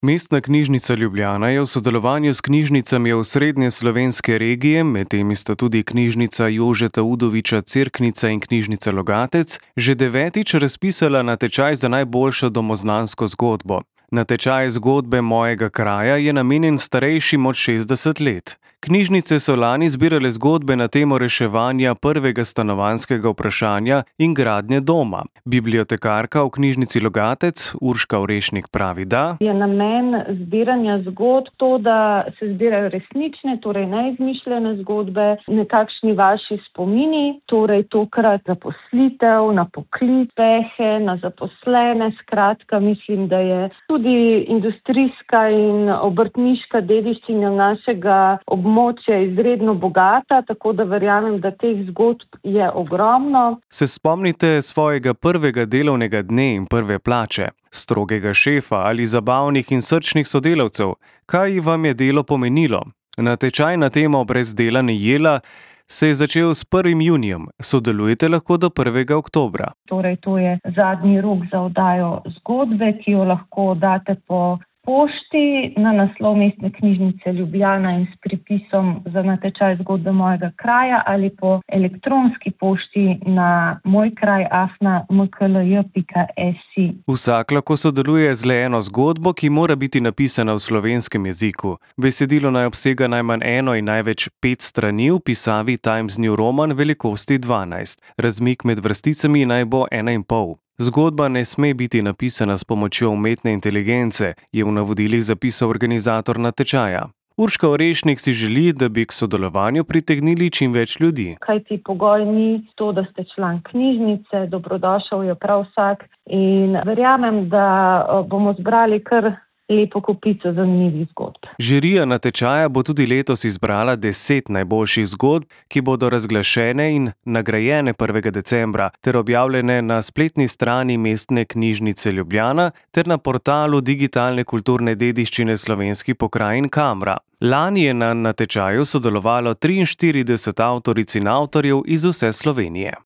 Mestna knjižnica Ljubljana je v sodelovanju s knjižnicami osrednje slovenske regije, med temi sta tudi knjižnica Jožeta Udoviča Cerknica in knjižnica Logatec, že 9. razpisala natečaj za najboljšo domoznansko zgodbo. Natečaj Zgodbe mojega kraja je namenjen starejšim od 60 let. Knjižnice so lani zbirale zgodbe na temo reševanja prvega stanovanjskega vprašanja in gradnje doma. Bibliotekarka v knjižnici Logatec, Urška Orešnik, pravi, da je namen zbiranja zgodb to, da se zbirajo resnične, torej neizmišljene zgodbe, nekakšni vaši spomini, torej tokrat zaposlitev, na poklic, pehe, na zaposlene. Skratka, mislim, da je tudi industrijska in obrtniška dediščina našega območja izredno bogata, tako da verjamem, da teh zgodb je ogromno. Se spomnite svojega prvega delovnega dne in prve plače, strogega šefa ali zabavnih in srčnih sodelavcev? Kaj vam je delo pomenilo? Natečaj na temo Brez dela ni jela se je začel s 1. junijem. Sodelujete lahko do 1. oktobra. Torej, to je zadnji rok za oddajo zgodbe, ki jo lahko date po pošti na naslov Mestne knjižnice Ljubljana in s pripisom za natečaj Zgodbe mojega kraja ali po elektronski pošti na mojkraj@mklj.si. Vsak lahko sodeluje z le eno zgodbo, ki mora biti napisana v slovenskem jeziku. Besedilo naj obsega najmanj 1 in največ 5 strani v pisavi Times New Roman velikosti 12. Razmik med vrsticami naj bo 1,5. Zgodba ne sme biti napisana s pomočjo umetne inteligence, je v navodilih zapisal organizator natečaja. Urška Orešnik si želi, da bi k sodelovanju pritegnili čim več ljudi. Kajti pogoj ni to, da ste član knjižnice, dobrodošel je prav vsak in verjamem, da bomo zbrali kar lepo kopico zanimivih zgodb. Žirija natečaja bo tudi letos izbrala 10 najboljših zgodb, ki bodo razglašene in nagrajene 1. decembra ter objavljene na spletni strani Mestne knjižnice Ljubljana ter na portalu digitalne kulturne dediščine slovenskih pokrajin Kamra. Lani je na natečaju sodelovalo 43 avtoric in avtorjev iz vse Slovenije.